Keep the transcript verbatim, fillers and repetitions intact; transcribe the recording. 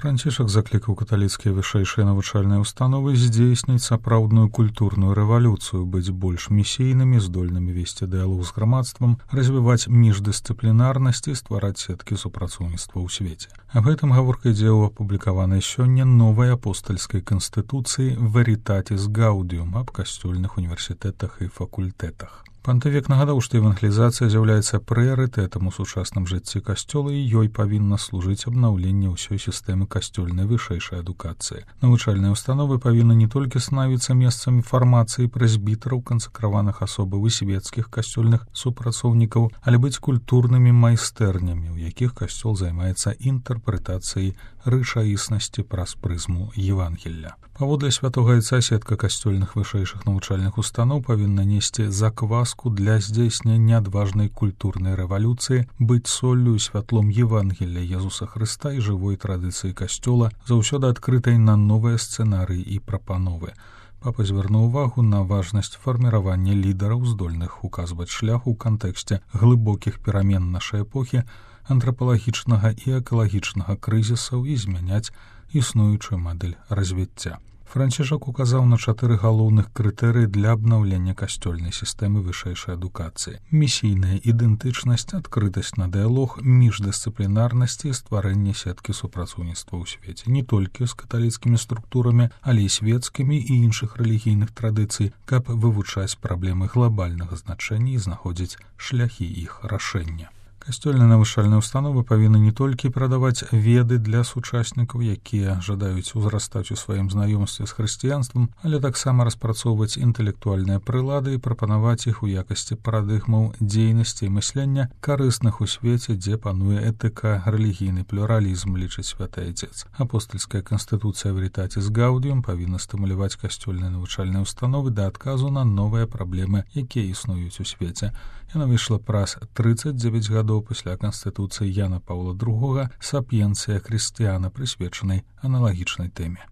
Францішак заклікаў каталіцкія вышэйшыя навучальныя ўстановы здзейсніць сапраўдную культурную рэвалюцыю, быць больш місійнымі, здольнымі весці дыялог з грамадствам, развіваць міждысцыплінарнасць і ствараць сеткі супрацоўніцтва ў свеце. Аб гэтым гаворка ідзе ў апублікаванай сёння новай апостальскай канстытуцыі «Veritatis Gaudium» аб касцёльных універсітэтах і факультэтах. Пантыфік нагадаў, што евангелізацыя з'яўляецца прыярытэтам у сучасным жыцці касцёла і ёй павінна служыць абнаўленне ўсёй сістэмы касцёльнай вышэйшай адукацыі. Навучальныя ўстановы павінны не толькі станавіцца месцамі фармацыі прэзбітараў, кансакраваных асобаў і свецкіх касцёльных супрацоўнікаў, але быць культурнымі майстэрнямі, у якіх касцёл займаецца інтэрпрэтацыяй рэчаіснасці праз прызму Евангелля. Паводле святога Айца сетка касцёльных вышэйшых навучальных устаноў павінна несці закваску для здзейснення адважнай культурнай рэвалюцыі, быць соллю і святлом Евангелля Езуса Хрыста і жывой традыцыі касцёла, заўсёды адкрытай на новыя сцэнарыі і прапановы. Папа звярнуў увагу на важнасць фарміравання лідараў, здольных указваць шлях у кантэксце глыбокіх перамен нашай эпохі, антрапалагічнага і экалагічнага крызісаў і змяняць існуючую мадэль развіцця. Францішак указаў на чатыры галоўных крытэрыі для абнаўлення касцёльнай сістэмы вышэйшай адукацыі: місійная ідэнтычнасць, адкрытасць на дыялог, міждысцыплінарнасць і стварэнне сеткі супрацоўніцтва ў свеце, не толькі з каталіцкімі структурамі, але і свецкімі і іншых рэлігійных традыцый, каб вывучаць праблемы глобальнага значэння і знаходзіць шляхі іх рашэння. Касцёльныя навучальныя ўстановы павінны не толькі прадаваць веды для сучаснікаў, якія жадаюць узрастаць у сваім знаёмстве з хрысціянствам, але таксама распрацоўваць інтэлектуальныя прылады і прапанаваць іх у якасці парадыгмаў дзейнасці і мыслення, карысных у свеце, дзе пануе этыка, рэлігійны плюралізм, лічыць святы Айцец. Апостальская канстытуцыя «Veritatis Gaudium» павінна стымуляваць касцёльныя навучальныя ўстановы да адказу на новыя праблемы, якія існуюць у свеце. Яна выйшла праз трыццаць дзевяць гадоў пасля канстытуцыі Яна Паўла другога «Сапіенцыя хрысціяна», прысвечанай аналагічнай тэме.